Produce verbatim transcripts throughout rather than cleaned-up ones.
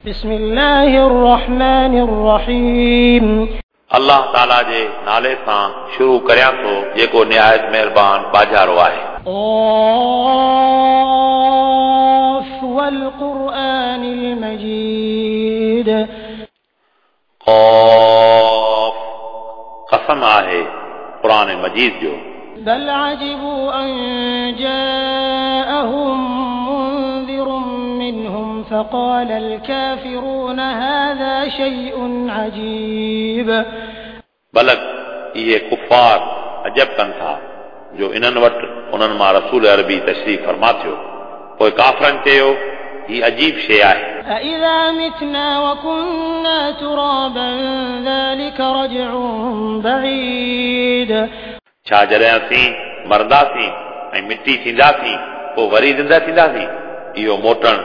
بسم الله الرحمن الرحيم. الله تعالى جي نالي سان شروع ڪريان ٿو جيڪو نهايت مهربان ٻاجهارو آهي. قاف والقرآن المجيد. قاف قسم آهي قرآن مجيد جو. بل عجبوا أن جاءهم منذر منهم فقال الكافرون هذا شيء عجيب. بلڪ اهي ڪفار عجب ڪن ٿا جو انهن وٽ انهن مان رسول عربي تشريف فرما ٿيو، پوءِ ڪافرن چيو هي عجيب شيءِ آهي. أإذا متنا وكنا ترابا ذلك رجع بعيد. छा जॾहिं असीं मरंदासीं ऐं मिटी थींदासीं पोइ वरी ज़िंदा थींदासीं? इहो मोटणु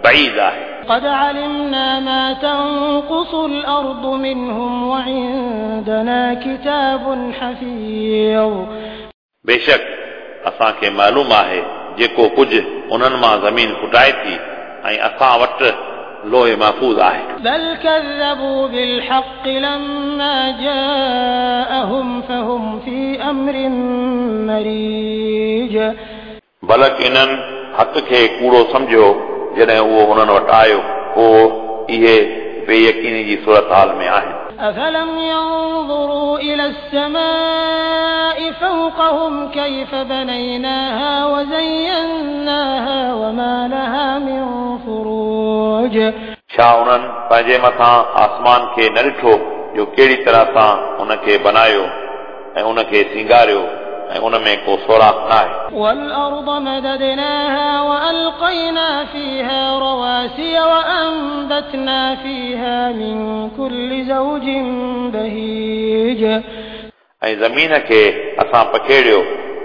बईद आहे. قد علمنا ما تنقص الأرض منهم وعندنا كتاب حفيظ. बेशक असांखे मालूम आहे जेको कुझु उन्हनि मां ज़मीन फुटाए थी ऐं असां वटि लोहे महफ़ूज़ आहे. بل كذبوا بالحق لما جاءهم فهم في أمر مريج. बलक इन्हनि हक़ खे कूड़ो सम्झियो जॾहिं उहो उन्हनि वटि आयो, पोइ इहे बेयकीनी जी सूरत हाल में आहिनि. أفلم ينظروا إلى السماء فوقهم كيف بنيناها وزيناها وما لها من فروج. छा उन्हनि पंहिंजे मथां आसमान खे न ॾिठो जो कहिड़ी तरह सां उनखे बनायो ऐं उनखे सींगारियो ऐं उन में को सुराख न आहे. والأرض مددناها وألقينا فيها رواسي وأنبتنا فيها من كل زوج بهيج. ऐं ज़मीन खे असां पखेड़ियो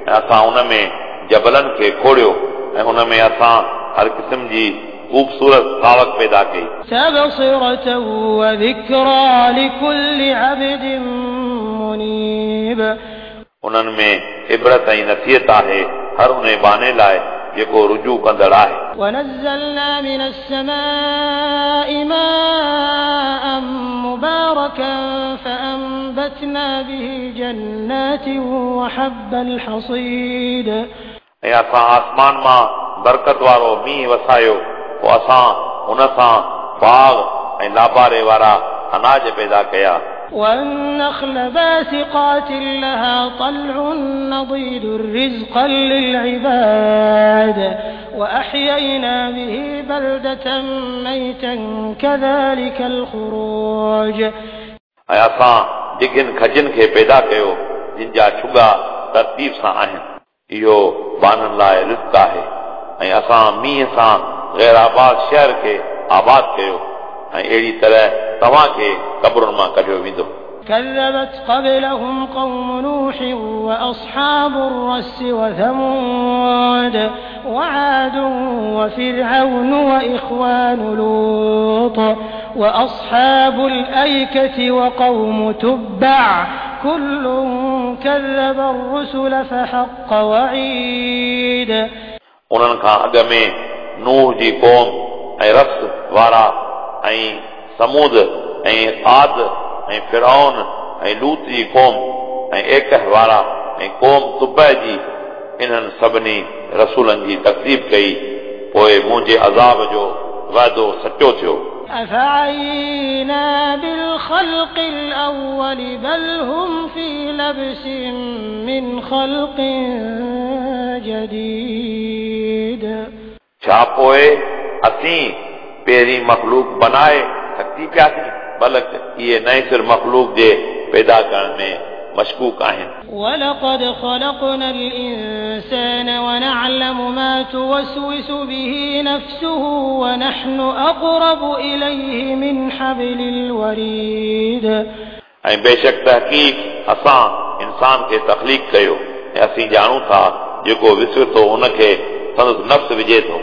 ऐं असां उन में जबलनि खे खोड़ियो ऐं उन में असां हर क़िस्म जी ख़ूबसूरत सावक पैदा कई. تبصرة وذكرى لكل عبد منيب. उन्हनि में इबरत ऐं नसीहत आहे हर उन बाने लाइ जेको रुजू कंदड़ आहे. ونزلنا من السماء ماء مباركا فأنبتنا به جنات وحب الحصيد. ऐं असां आसमान मां बरकत वारो मींहुं वसायो, पोइ असां उन सां बाग़ ऐं लाबारे वारा अनाज पैदा कया. والنخل باسقات لها طلع نضيد رزقا للعباد وأحيينا به بلدة ميتا كذلك الخروج. ऐं असां डिघियुनि खजनि खे पैदा कयो जिन जा छुगा तरतीब सां आहिनि. इहो बाननि लाइ रिज़्क आहे. ऐं असां मींहुं सां ग़ैर आबाद शहर खे आबाद कयो ऐं अहिड़ी तरह तव्हांखे क़बरुनि मां कढियो वेंदो. كذبت قبلهم قوم نوح وأصحاب الرس وثمود وعاد وفرعون وإخوان لوط وأصحاب الأيكة وقوم تبع كل كذب الرسل فحق وعيد. उन्हनि खां अॻु में नूह जी क़ौम ऐं रस वारा ऐं समूद ऐं आद ऐं फिरौन ऐं लूत जी क़ौम ऐं एकह वारा ऐं क़ौम तुबह जी इन्हनि सभिनी रसूलनि जी तकदीब कई, पोइ मुंहिंजे अज़ाब जो वाइदो सचो थियो. أفعينا بالخلق الأول بل هم في لبس من خلق جديد. छा पोइ असीं पहिरीं मख़लूक बनाए थकिजी पियासीं? बल्कि इहे नए सिर मख़लूक जे पैदा करण में मशकूक आहिनि. ولقد خلقنا الإنسان ونعلم ما توسوس به نفسه ونحن أقرب إليه من حبل الوريد. ऐं बेशक तहक़ीक़ असां इंसान खे तख़लीक़ कयो ऐं असीं ॼाणूं था जेको विसुतो उनखे संदसि नफ़्स विझे थो,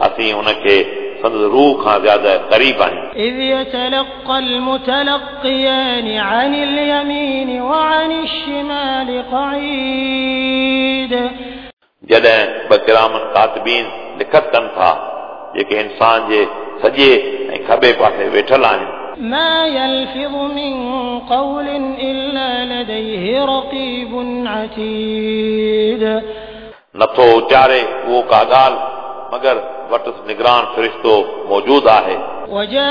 असीं उनखे संदसि रूह खां ज़्यादा क़रीब आहियूं. إذ يتلقى المتلقيان عن اليمين وعن الشمال قعيد. जॾहिं ॿ किरामन कातिबीन लिखत कनि था जेके इंसान जे सॼे ऐं खॿे पासे वेठल आहिनि। ما يلفظ من قول إلا لديه رقيب عتيد नथो उचारे उहो का ॻाल्हि मगर वटसि निगरान फ़रिश्तो मौजूद आहे। وجاءت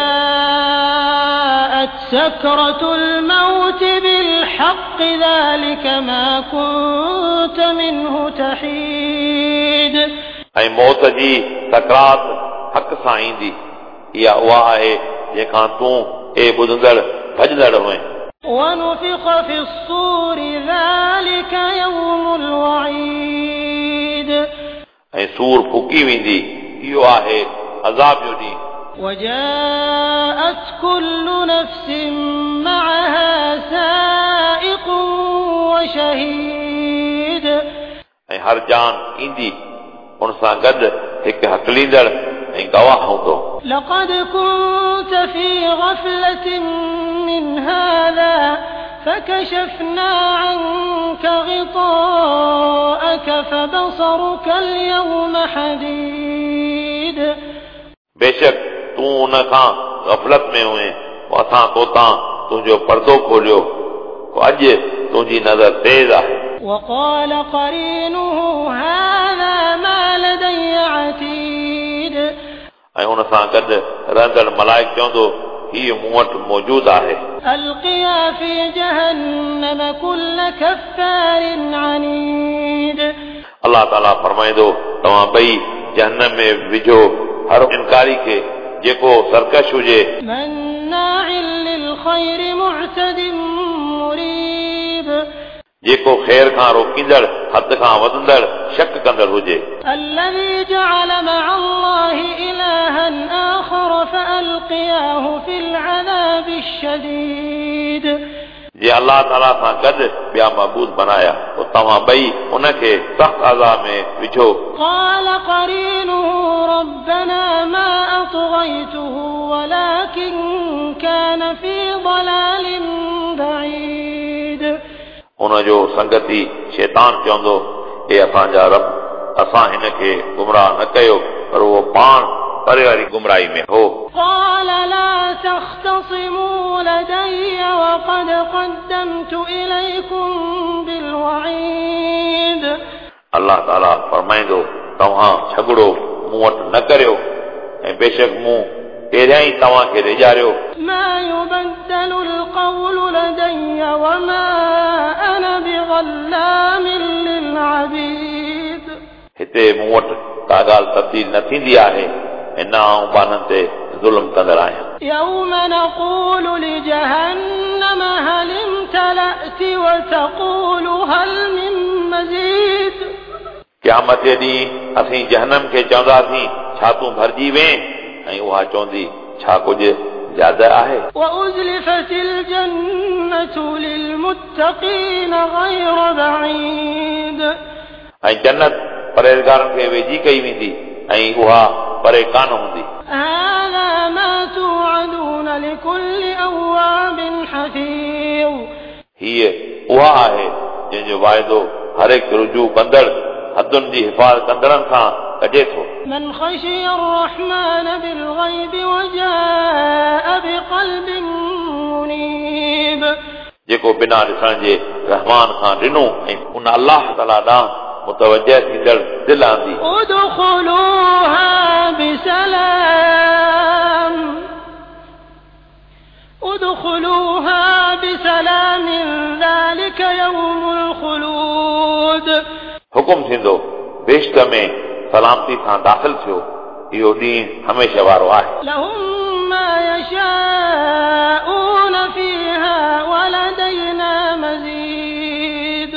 سكرة الموت بالحق ذلك ما كنت منه تحيد ऐं मौत जी सकरात हक़ सां ईंदी, इहा उहा आहे जंहिंखां तूं ए ॿुधंदड़ भॼंदड़ हुए। ونفخ في الصور ذلك يوم الوعيد ऐं सूर फूकी वेंदी, इहो आहे अज़ाब जो ॾींहुं। وجاءت كل نفس معها سائق وشهيد ऐं हर जान ईंदी उन सां गॾु हिकु हकलींदड़ ऐं गवाह हूंदो। لقد كنت في غفلة من هذا فكشفنا عنك غطاءك فبصرك اليوم حديد बेशक तूं उन खां गफ़लत में हुए, पोइ असां तोतां तुंहिंजो पर्दो खोलियो, पोइ अॼु तुंहिंजी नज़र तेज़ आहे। وقال قرينه هذا ما لدي عتيد ऐं उन सां गॾु रहंदड़ मलाइक चवंदो हीउ मूं वटि मौजूदु आहे। ألقيا في جهنم كل كفار عنيد अल्लाह ताला फरमाईंदो तव्हां ॿई जहन्नम में विझो हर इनकारी खे जेको सरकश हुजे, مناع للخير معتد مريب जेको ख़ैर खां रोकींदड़ हद खां वधंदड़ शक कंदड़ हुजे। الذي جعل مع الله إلها آخر فألقياه في العذاب الشديد जे अल्लाह ताला सां गॾु ॿिया महबूद बनाया, पोइ तव्हां ॿई उनखे सख़्तु अज़ाब में विझो। قال قرينه ربنا ما أطغيته ولكن كان في ضلال بعيد उनजो संगती शैतान चवंदो ए असांजा रब, असां हिनखे गुमराह न कयो, पर उहो पाण परे वारी गुमराही में हो। قال لا تختصموا لدي وقد قدمت إليكم بالوعيد अल्लाह ताला फरमाईंदो तव्हां झगड़ो मूं वटि न करियो, ऐं बेशक मूं पहिरियां ई तव्हांखे ॾेजारियो। ما يبدل القول لدي وما أنا بظلام للعبيد हिते मूं वटि का ॻाल्हि तब्दील न थींदी आहे ऐं न आउं ॿारनि ते ज़ुल्म कंदड़ आहियां। يوم نقول لجهنم هل امتلأت وتقول هل من مزيد क़यामत जे ॾींहुं असीं जहन्नम खे चवंदासीं छा तूं भरिजी वें, ऐं उहा चवंदी छा कुझु ज़्यादा आहे। وأزلفت الجنة للمتقين غير بعيد ऐं जन्नत परहेज़गारनि खे वेझी कई वेंदी ऐं उहा परे कान हूंदी। هذا ما توعدون لكل أواب حفيظ हीअ उहा आहे जंहिंजो वाइदो हर हिकु रुजू कंदड़ हदुनि जी हिफ़ाज़त कंदड़नि सां कजे थो। من خشي الرحمن بالغيب وجاء بقلب منيب जेको बिना ॾिसण जे रहमान खां ॾिनो ऐं उन अल्लाह ताला ॾांहुं मुतवजह थींदड़ दिलि आंदी। ادخلوها بسلام ادخلوها بسلام ذلك يوم الخلود हुकुम थींदो बेश्त में सलामती सां दाख़िल थियो, इहो ॾींहुं हमेशह वारो आहे। لهم ما يشاءون فيها ولدينا مزيد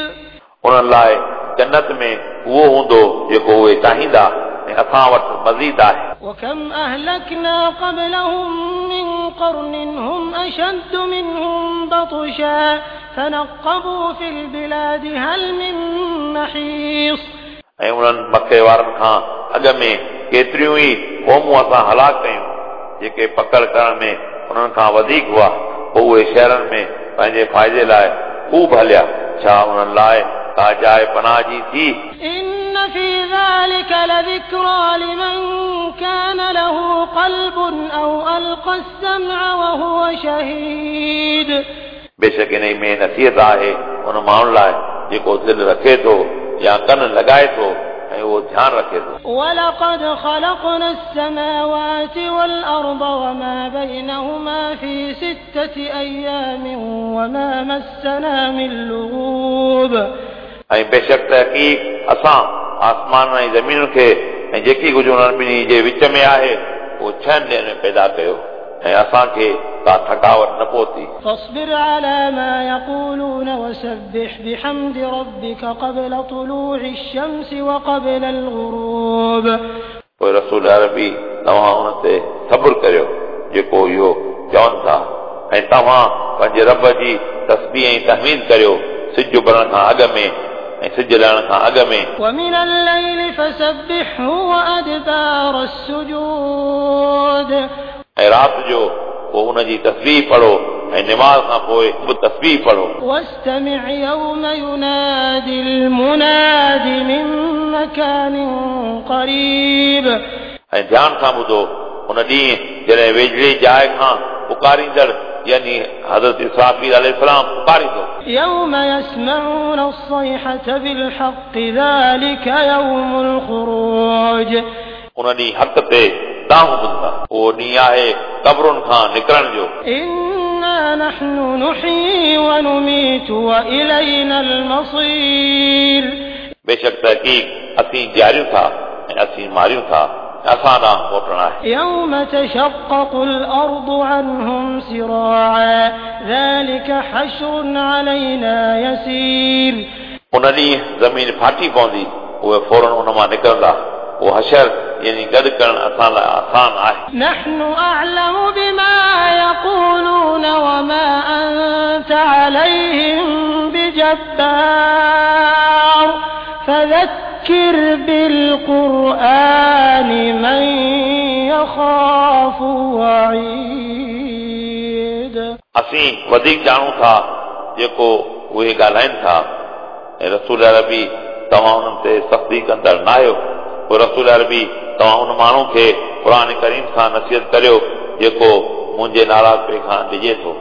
उन्हनि लाइ जन्नत में उहो हूंदो जेको उहे चाहींदा ऐं असां वटि मज़ीद आहे। وكم أهلكنا قبلهم من قرن هم أشد منهم بطشا فنقبوا في البلاد هل من محيص ऐं उन्हनि मके वारनि खां अॻु में केतिरियूं ई क़ौमूं असां हलाक कयूं जेके पकड़ करण में उन्हनि खां वधीक हुआ, पोइ उहे शहरनि में पंहिंजे फ़ाइदे लाइ ख़ूब हलिया, छा उन्हनि लाइ का जाइ पनाह जी थी? إن في ذلك لذكرى لمن كان له قلب أو ألقى السمع وهو شهيد. बेशक इन में नसीहत आहे उन माण्हुनि लाइ जेको दिलि रखे थो या कन लॻाए थो ऐं उहो ध्यानु रखे थो। ولقد خلقنا السماوات والأرض وما بينهما في ستة أيام وما مسنا من لغوب. ऐं बेशक तहक़ीक़ असां आसमान ऐं ज़मीन खे ऐं जेकी कुझु उन्हनि ॿिन्ही जे विच में आहे उहो छहनि ॾींहनि में पैदा कयो ऐं असांखे का थकावट न पहुती। فاصبر على ما يقولون وسبح بحمد ربك قبل طلوع الشمس وقبل الغروب. पोइ रसूल अरबी तव्हां उन ते सब्र करियो जेको इहो चवनि था ऐं तव्हां पंहिंजे रब जी तस्बीह ऐं तहमीद करियो सिज उभरण खां अॻु में ऐं सिज लहण खां अॻु में। ومن الليل فسبحه وأدبار السجود. ऐं राति जो पोइ उनजी तस्बीह पढ़ो ऐं नमाज़ खां पोइ बि तस्बीह पढ़ो। واستمع يوم ينادي المناد من مكان قريب. ऐं ध्यान सां ॿुधो उन ॾींहुं जॾहिं वेझड़ी जाइ खां पुकारींदड़ यानी हज़रत इसराफ़ील अलैहिस्सलाम पुकारींदो। يوم يسمعون الصيحة بالحق ذلك يوم الخروج. उन ॾींहुं हक़ ते दांहुं ॿुधंदा। उहो ॾींहुं आहे क़बरुनि खां निकिरण जो। إنا نحن نحيي ونميت وإلينا المصير. बेशक तहक़ीक़ असीं जीआरियूं था ऐं असीं मारियूं था असां ॾांहुं मोटणु आहे। يوم تشقق الأرض عنهم سراعا ذلك حشر علينا يسير. उन ॾींहुं ज़मीन फाटी पवंदी उहे फ़ौरन उन मां निकिरंदा। उहो हशर यानी गॾु करणु असां लाइ आसान आहे। نحن أعلم بما يقولون وما أنت عليهم بجبار فذكر بالقرآن من يخاف وعيد. असीं वधीक ॼाणूं था जेको उहे ॻाल्हाइनि था ऐं रसूल अरबी तव्हां उन्हनि ते सख़्ती कंदड़ न आहियो। पोइ रसूल अरबी तव्हां उन माण्हू खे क़ुर करीम सां नसीहत करियो जेको मुंहिंजे नाराज़पे खां डिॼे थो।